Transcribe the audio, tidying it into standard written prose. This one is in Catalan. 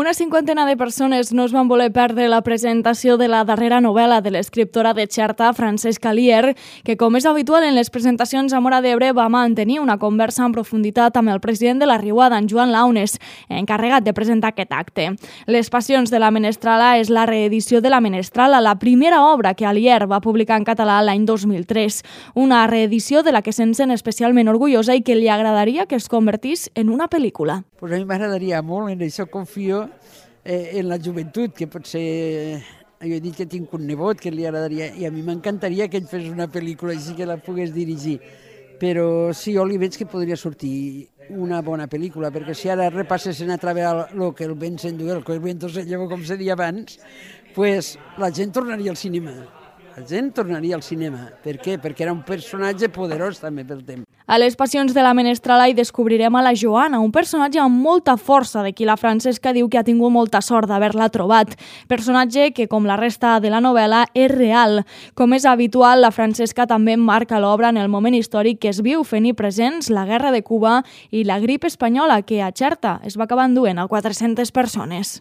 Una cinquantena de persones no es van voler perdre la presentació de la darrera novel·la de l'escriptora de Xerta, Francesca Lier, que, com és habitual en les presentacions a Móra d'Ebre, va mantenir una conversa en profunditat amb el president de la Riuada, en Joan Launes, encarregat de presentar aquest acte. Les passions de la Menestrala és la reedició de la Menestrala, la primera obra que Lier va publicar en català l'any 2003. Una reedició de la que se'n sent especialment orgullosa i que li agradaria que es convertís en una pel·lícula. Pues a mi m'agradaria molt, en això confio en la joventut, que potser jo he dit que tinc un nebot que li agradaria, i a mi m'encantaria que ell fes una pel·lícula així que la pogués dirigir. Però sí, jo li veig que podria sortir una bona pel·lícula, perquè si ara repassessin a través el que el vent s'endugué, el que el viento se llevó, com se deia abans, pues la gent tornaria al cinema. La gent tornaria al cinema. Per què? Perquè era un personatge poderós també pel temps. A les passions de la Menestrala hi descobrirem a la Joana, un personatge amb molta força de qui la Francesca diu que ha tingut molta sort d'haver-la trobat. Personatge que, com la resta de la novel·la, és real. Com és habitual, la Francesca també marca l'obra en el moment històric que es viu, fent-hi presents la Guerra de Cuba i la grip espanyola, que a Xerta es va acabar enduent a 400 persones.